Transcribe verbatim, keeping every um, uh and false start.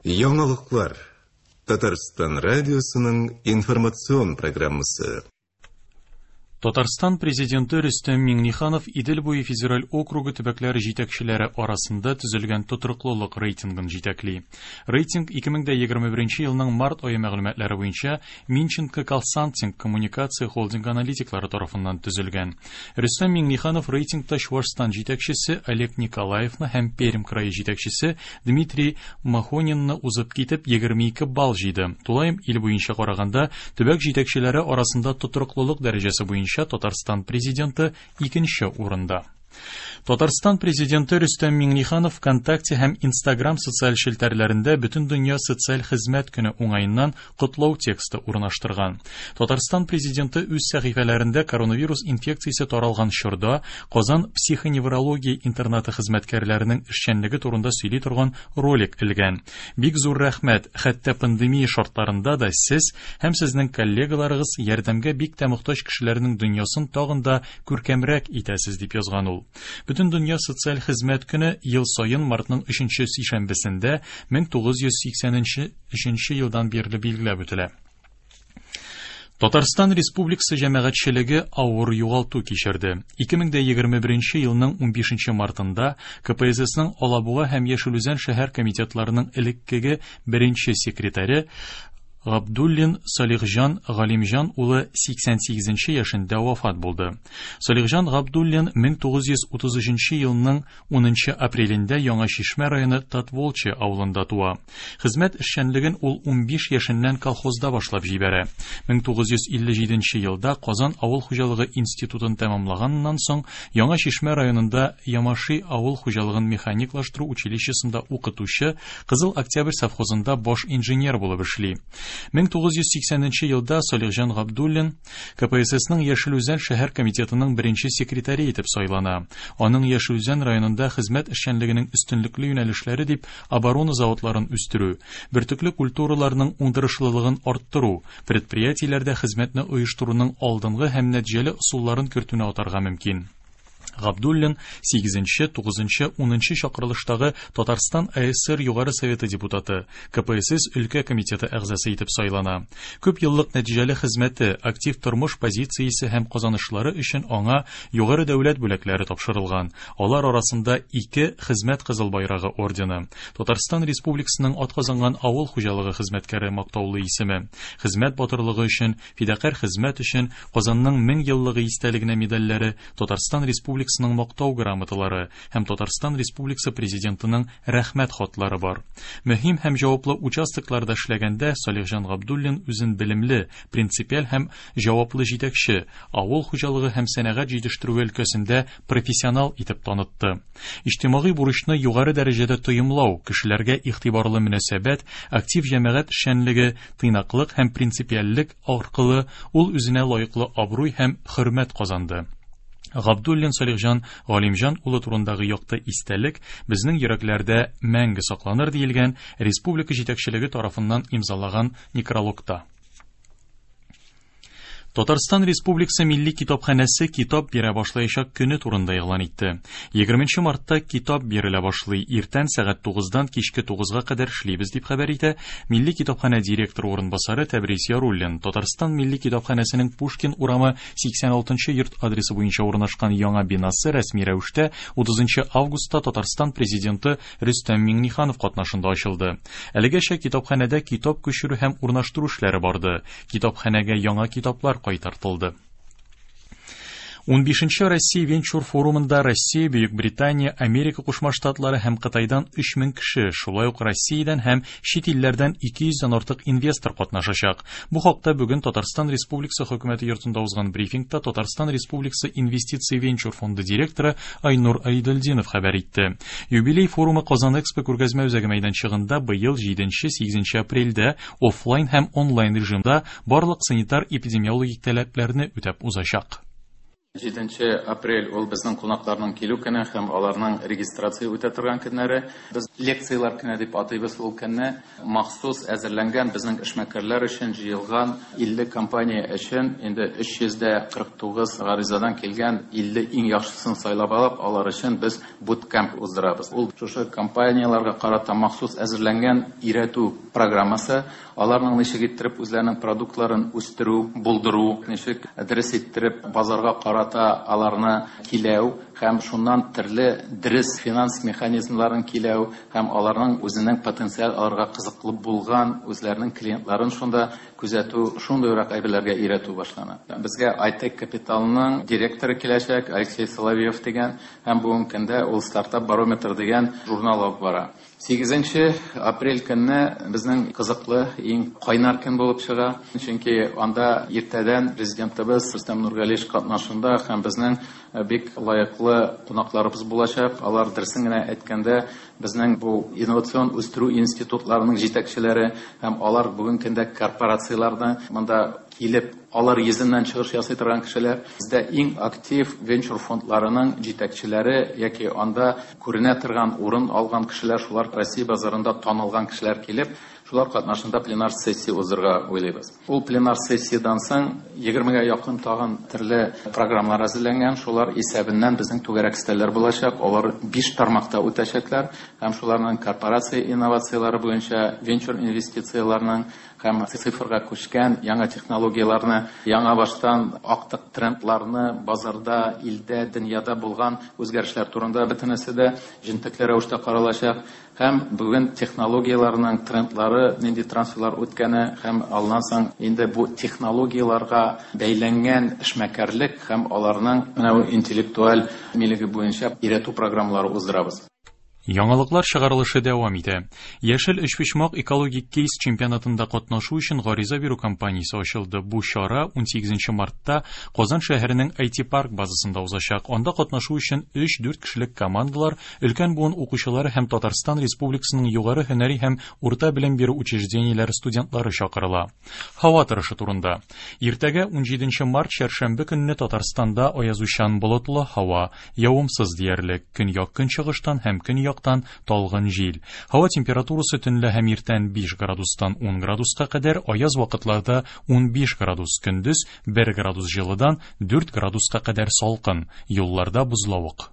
Яңалыклар. Татарстан радиосының информацион программасы. Татарстан президенты Рөстәм Миңнеханов Идел буе федераль округы төбәкләре җитәкчеләре арасында төзелгән тотрыклылык рейтингын җитәкли. Рейтинг ике мең дә егерме беренче елның март ае мәгълүматлары буенча Минченко Консалтинг коммуникация холдинг аналитиклары тарафыннан төзелгән. Рөстәм Миңнеханов рейтингта Чувашстан җитәкчесе Олег Николаевны һәм Пермь крае җитәкчесе Дмитрий Махонинны узып китеп егерме ике балл җыйды. Тулаем ил буенча караганда төбәк җитәкчеләре арасында тотрыклылык дәрәҗәсе буенча Татарстан президенты икенче урында. Татарстан президенты Рөстәм Миңнеханов ВКонтакте һәм Инстаграм социаль челтәрләрендә Бөтендөнья социаль хезмәт көне уңаеннан котлау тексты урнаштырган. Татарстан президенты үз сәхифәләрендә коронавирус инфекциясе таралган чорда Казан психоневрология интернаты хезмәткәрләренең эшчәнлеге турында сөйли торган ролик элгән. Бик зур рәхмәт, хәтта пандемия шартларында да сез һәм сезнең коллегаларыгыз ярдәмгә бик тә мохтаҗ кешеләрнең дөньясын тагын да күркәмрәк итәсез, дип язган ул. Бөтендөнья социаль хезмәт көне ел саен мартның өченче сишәмбесендә мең тугыз йөз сиксәненче өченче елдан бирле билгеләп үтелә. Татарстан Республикасы җәмәгатьчелеге авыр югалту кичерде. Ике мең дә егерме беренче елның унбишенче мартында К П С Сның Алабуга һәм Яшел Үзән шәһәр комитетларының элеккеге беренче секретаре Габдуллин Салихҗан Галимҗан улы сиксән сигезенче яшендә вафат булды. Салихҗан Габдуллин мең тугыз йөз утыз өченче елның унынчы апрелендә Яңа Чишмә районы Татволчы авылында туа. Хезмәт эшчәнлеген ул унбиш яшеннән колхозда башлап җибәрә. Мең тугыз йөз илле җиденче елда Казан авыл хуҗалыгы институтын тәмамлаганнан соң Яңа Чишмә районында Ямаши авыл хуҗалыгын механиклаштыру училищесында укытучы, Кызыл Октябрь совхозында баш инженер булып эшли. Мең тугыз йөз сиксәненче елда Салихҗан Габдуллин К П С Сның Яшел Үзән шәһәр комитетының беренче секретаре итеп сайлана. Аның Яшел Үзән районында хезмәт эшчәнлегенең өстенлекле юнәлешләре дип оборона заводларын үстерү, бөртекле культураларның уңдырышлылыгын арттыру, предприятиеләрдә хезмәтне оештыруның алдынгы һәм нәтиҗәле ысулларын кертүне атарга мөмкин. Габдуллин сигезенче, тугызынчы, унынчы чакырылыштагы Татарстан А С Р Югары Советы депутаты, К П С С өлкә комитеты әгъзасы итеп сайлана. Күп еллык нәтиҗәле хезмәте, актив тормыш позициясе һәм казанышлары өчен аңа югары дәүләт бүләкләре тапшырылган. Алар арасында ике Хезмәт Кызыл Байрагы ордены, Татарстан Республикасының атказанган авыл хуҗалыгы хезмәткәре мактаулы исеме, хезмәт батырлыгы өчен, фидакарь хезмәт өчен Казанның мең еллыгы истәлегенә медальләре, Татарстан Республикасының мактау грамоталары һәм Татарстан Республикасы президентының рәхмәт хатлары бар. Мөһим һәм җаваплы участокларда эшләгәндә Салихҗан Габдуллин үзен белемле, принципиаль һәм җаваплы җитәкче, авыл хуҗалыгы һәм сәнәгать җитештерүе өлкәсендә профессионал итеп танытты. Иҗтимагый бурычны югары дәрәҗәдә тоемлау, кешеләргә игътибарлы мөнәсәбәт, актив җәмәгать эшчәнлеге, тыйнаклык һәм принципиальлек аркылы ул үзенә лаеклы абруй һәм хөрмәт казанды. Габдуллин Салихҗан Галимҗан улы турындагы якты истәлек безнең йөрәкләрдә мәңге сакланыр диелгән республика җитәкчелеге тарафыннан имзалаган некрологта. Татарстан Республикасы Милли китапханәсе китап бирә башлаячак көне турында игълан итте. Егерменче мартта китап бирелә башлый. Иртән сәгать тугыздан кичке тугызга кадәр эшлибез дип хәбәр итә Милли китапханә директоры урынбасары Тәбрис Яруллин. Татарстан Милли китапханәсенең Пушкин урамы сиксән алтынчы йорт адресы буенча урнашкан яңа бинасы рәсми рәвештә утызынчы августта Татарстан президенты Рөстәм Миңнеханов катнашында ачылды. Әлегәчә китапханәдә китап күчерү һәм урнаштыру эшләре барды. Китапханәгә яңа китаплар кайтартылды. Унбишенче Россия венчур форумында Россия, Бөек Британия, Америка Кушма Штатлары һәм Кытайдан өч мең кеше, шулай ук Россиядән һәм чит илләрдән ике йөздән артык инвестор катнашачак. Бу хакта бүген Татарстан Республикасы хөкүмәте йортында узган брифингта Татарстан Республикасы инвестиция венчур фонды директоры Айнур Айдельдинов хәбәр итте. Юбилей форумы Казан Экспо күргәзмә үзәге мәйданчыгында быел җиденче, сигезенче апрельдә офлайн һәм онлайн режимда барлык санитар эпидемиологик таләпләрне үтәп узачак. Җиденче апрель ул безнең кунакларның килү көне һәм аларның регистрация үтә торган көннәре. Без лекцияләр көне дип атыйбыз ул көнне. Махсус әзерләнгән безнең эшмәкәрләр өчен җыелган илле компания өчен инде өч йөз дә кырык тугыз гаризадан килгән илле иң яхшысын сайлап алып, алар өчен без буткемп уздырабыз. Ул шушы компанияләргә карата махсус әзерләнгән өйрәтү программасы. Аларның ничек иттереп үзләренең продуктларын үстерү, булдыру, ничек дөрес иттереп базарга карата аларны киләү һәм шуннан төрле дөрес финанс механизмларын киләү һәм аларның үзенең потенциаль аларга кызыклы булган үзләренең клиентларын шунда күзәтү, шундыйрак әйберләргә өйрәтү башлана. Безгә Айтек Капиталның директоры киләчәк, Алексей Соловьев дигән, һәм бүгенге көндә ул Стартап Барометр дигән журнал алып бара. Сигезенче апрель көнне безнең кызыклы, иң кайнар көн булып чыга. Чөнки анда иртәдән президентыбыз Рөстәм Нургалиевич катнашында һәм безнең бик лаеклы кунакларыбыз булачак. Алар дөресен генә әйткәндә, безнең бу инновацион үстерү институтларының җитәкчеләре һәм алар бүгенге көндә корпорацияләрне монда килеп, алар йөзеннән чыгыш ясый торган кешеләр. Бездә иң актив венчур фондларының җитәкчеләре яки анда күренә торган урын алган кешеләр, шулар Россия базарында танылган кешеләр килеп, шулар катнашында пленар сессия уздырырга уйлыйбыз. Ул пленар сессиядән соң егермегә якын тагын төрле программалар әзерләнгән, шулар исәбеннән безнең түгәрәк өстәлләр булачак. Алар биш тармакта үтәчәкләр һәм шуларның корпорация инновацияләре буенча, венчур инвестицияләрнең һәм цифрга күчкән яңа технологияләрне, яңа баштан актык трендларны, базарда, илдә, дөньяда булган үзгәрешләр турында бөтенесе дә җентекле рәвештә каралачак. Һәм бүген технологияләрнең трендлары, нинди трансферлар үткәне һәм алдан соң инде бу технологияләргә бәйләнгән эшмәкәрлек һәм аларның менә бу интеллектуаль милеге буенча өйрәтү программалары уздырабыз. Яңалыклар чыгарылышы дәвам итә. Яшел өчпочмак экологик кейс чемпионатында катнашу өчен гариза бирү кампаниясе ачылды. Бу чара унсигезенче мартта Казан шәһәренең ай ти парк базасында узачак. Анда катнашу өчен өч-дүрт кешелек командалар, өлкән буын укучылары һәм Татарстан Республикасының югары һөнәри һәм урта белем бирү учреждениеләре студентлары чакырыла. Һава торышы турында. Иртәгә унҗиденче март чәршәмбе көнне Татарстанда аязучан болытлы һава, явымсыз диярлек, көньяк-көнчыгыштан һәм көньяк талгын җил. Һава температурасы төнлә һәм иртән биш градустан ун градуска кадәр, аяз вакытларда унбиш градус, көндез бер градус җылыдан дүрт градуска кадәр салкын, юлларда бозлавык.